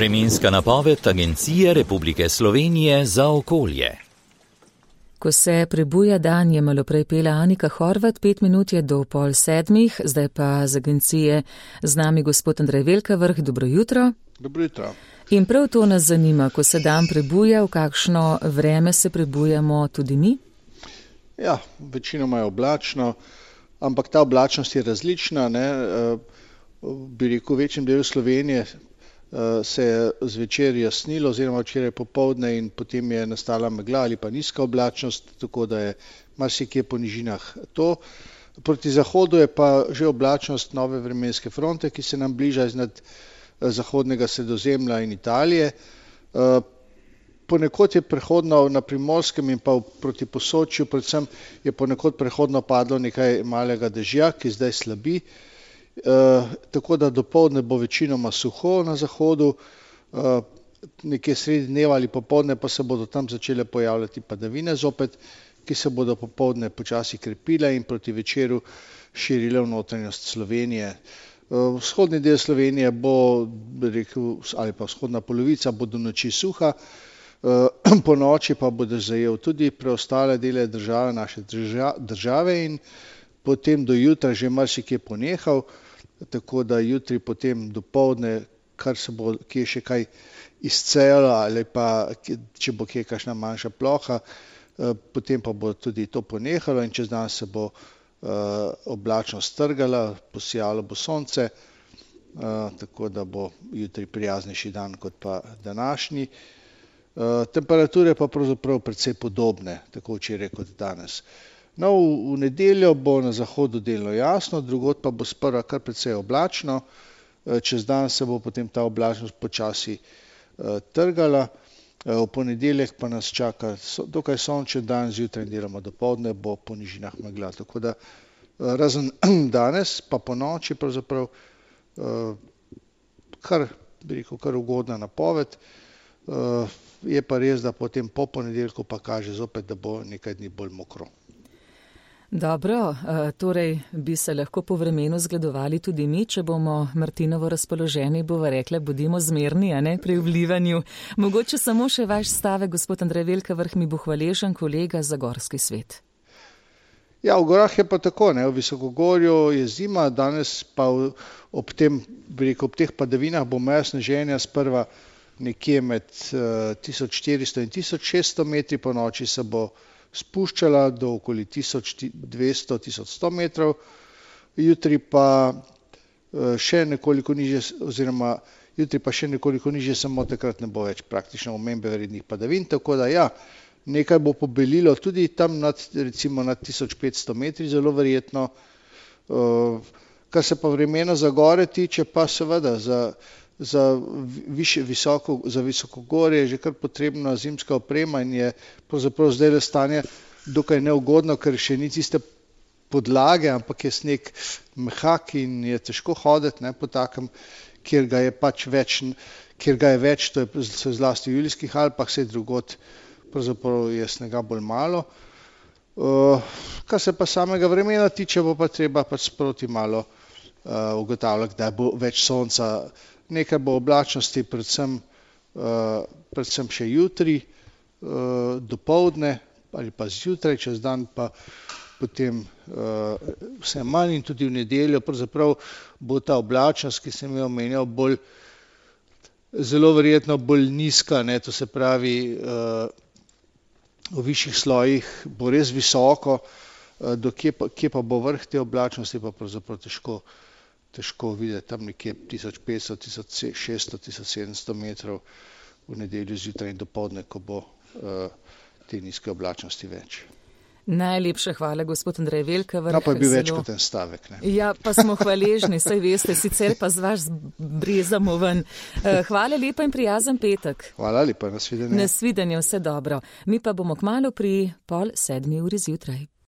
Vremenska napoved Agencije Republike Slovenije za okolje. Ko se prebuja dan, je malo prej pela Anika Horvat, 5 minut je do 6:30, zdaj pa z agencije z nami gospod Andrej Velkavrh. Dobro jutro. Dobro jutro. In prav to nas zanima, ko se dan prebuja, v kakšno vreme se prebujamo tudi mi? Ja, večinoma je oblačno, ampak ta oblačnost je različna, ne. Bi rekel, v večjem delu Slovenije se je zvečer jasnilo oziroma včeraj popoldne in potem je nastala megla ali pa nizka oblačnost, tako da je marsikje po nižinah to. Proti zahodu je pa že oblačnost nove vremenske fronte, ki se nam bliža iznad zahodnega Sredozemlja in Italije. Ponekod je prehodno na Primorskem in pa proti Posočju, predvsem je ponekod prehodno padlo nekaj malega dežja, ki zdaj slabi. Tako da dopoldne bo večinoma suho na zahodu, nekje sredi dneva ali popoldne pa se bodo tam začele pojavljati padavine zopet, ki se bodo popoldne počasi krepile in proti večeru širile v notranjost Slovenije. Vzhodni del Slovenije bo, bi rekel, ali pa vzhodna polovica bo do noči suha, po noči pa bo zajel tudi preostale dele države, naše države, in potem do jutra že marsikje ponehal, tako da jutri potem dopoldne, kar se bo kje še kaj izcejalo ali pa če bo kje kakšna manjša ploha, potem pa bo tudi to ponehalo in čez dan se bo oblačnost strgala, posijalo bo sonce, tako da bo jutri prijaznejši dan kot pa današnji. Temperature pa pravzaprav precej podobne, tako včeraj kot danes. No, v nedeljo bo na zahodu delno jasno, drugod pa bo sprva kar precej oblačno, čez dan se bo potem ta oblačnost počasi trgala, v ponedeljek pa nas čaka dokaj sončen dan, zjutraj in deloma dopoldne bo po nižinah megla, tako da razen danes pa po noči pravzaprav bi rekel, kar ugodna napoved. Je pa res, da potem po ponedeljku pa kaže zopet, da bo nekaj dni bolj mokro. Dobro, torej bi se lahko po vremenu zgledovali tudi mi, če bomo Martinovo razpoloženi, bova rekla, bodimo zmerni, a ne, pri vlivanju. Mogoče samo še vaš stavek, gospod Andrej Velkavrh, mi bo hvaležen kolega za gorski svet. Ja, v gorah je pa tako, ne, v visokogorju je zima, danes pa ob tem, bi rekel, ob teh padavinah bo meja sneženja sprva nekje med 1400 in 1600 metri, po noči se bo spuščala do okoli 1200-1100 metrov, jutri pa še nekoliko nižje, oziroma jutri pa še nekoliko nižje, samo takrat ne bo več praktično omembe vrednih padavin, tako da ja, nekaj bo pobelilo tudi tam recimo nad 1500 metri, zelo verjetno. Kar se pa vremena za gore tiče, pa seveda za visokogorje je že kar potrebna zimska oprema in je pravzaprav zdaj le stanje dokaj neugodno, ker še ni tiste podlage, ampak je sneg mehak in je težko hoditi, ne, po takem, kjer ga je pač več, to je zlasti v Julijskih Alpah, saj drugod pravzaprav je snega bolj malo. Kar se pa samega vremena tiče, bo pa treba pač sproti malo ugotavljati, kdaj bo več sonca. Nekaj bo oblačnosti, predvsem še jutri, dopoldne ali pa zjutraj, čez dan pa potem vse manj in tudi v nedeljo. Pravzaprav bo ta oblačnost, ki sem jo omenjal, zelo verjetno bolj nizka, ne, to se pravi, v višjih slojih bo res visoko, kje pa bo vrh te oblačnosti, pa pravzaprav težko videti, tam nekje 1500, 1600, 1700 metrov v nedeljo zjutraj in dopoldne, ko bo te nizke oblačnosti več. Najlepša hvala, gospod Andrej Velkavrh. No, pa je bil več kot en stavek, ne. Ja, pa smo hvaležni, saj veste, sicer pa z vaš brezamo ven. Hvala lepa in prijazen petek. Hvala lepa, nasvidenje. Nasvidenje, vse dobro. Mi pa bomo kmalu pri 6:30 zjutraj.